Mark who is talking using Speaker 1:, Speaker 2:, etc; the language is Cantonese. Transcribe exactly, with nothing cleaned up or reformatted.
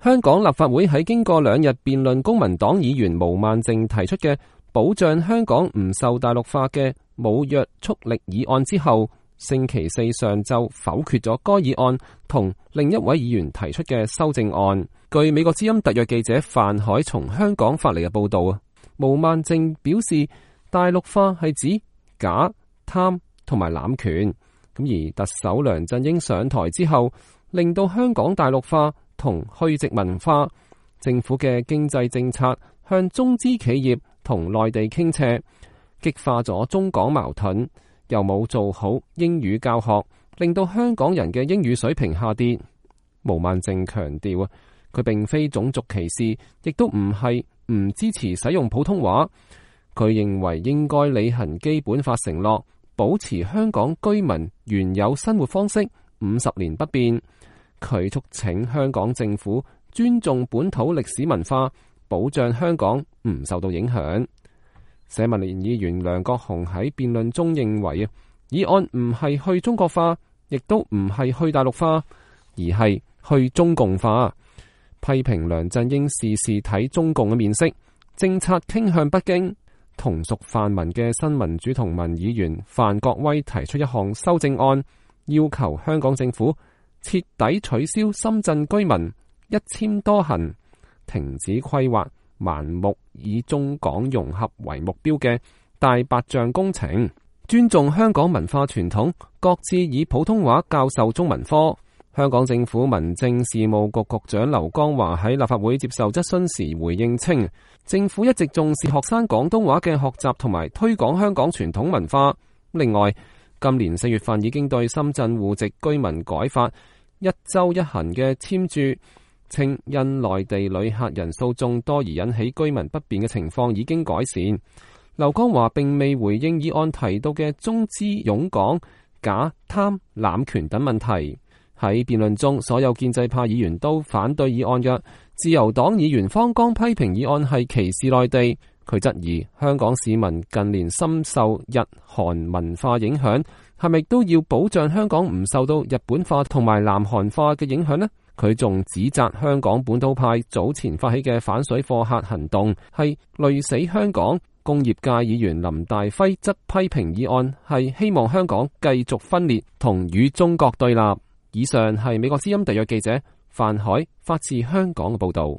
Speaker 1: 香港立法會喺經過兩日辯論公民黨議員毛孟靜提出嘅保障香港唔受大陸化嘅冇約束力議案之後，星期四上晝否決咗該議案同另一位議員提出嘅修正案。據美國之音特約記者范海從香港發嚟嘅報道啊，毛孟靜表示大陸化係指假、貪同埋濫權，咁而特首梁振英上台之後，令到香港大陸化同去殖民化，政府嘅經濟政策向中資企業同內地傾斜，激化咗中港矛盾，又冇做好英語教學，令到香港人嘅英語水平下跌。毛孟靜強調啊，佢並非種族歧視，亦都唔係唔支持使用普通話。佢認為應該履行基本法承諾，保持香港居民原有生活方式五十年不變。佢促請香港政府尊重本土歷史文化，保障香港唔受到影響。社民連議員梁國雄喺辯論中認為啊，議案唔係去中國化，亦都唔係去大陸化，而係去中共化，批評梁振英事事睇中共嘅面色，政策傾向北京。同屬泛民嘅新民主同盟議員范國威提出一項修正案，要求香港政府徹底取消深圳居民一簽多行，停止規劃盲目以中港融合為目標嘅大白象工程，尊重香港文化傳統，各自以普通話教授中文科。香港政府民政事務局局長劉江華喺立法會接受質詢時回應稱，政府一直重視學生廣東話嘅學習同埋推廣香港傳統文化。另外，今年四月份已經對深圳戶籍居民改發一周一行嘅簽注，稱因內地旅客人數眾多而引起居民不便嘅情況已經改善。劉江華並未回應議案提到嘅中資湧港、假貪濫權等問題。喺辯論中，所有建制派議員都反對議案嘅。自由黨議員方剛批評議案係歧視內地，佢質疑香港市民近年深受日韓文化影響，係咪都要保障香港唔受到日本化同埋南韓化嘅影響呢？佢仲指責香港本土派早前發起嘅反水貨客行動係累死香港。工業界議員林大輝則批評議案係希望香港繼續分裂同與中國對立。以上係美國之音特約記者范海發自香港嘅報道。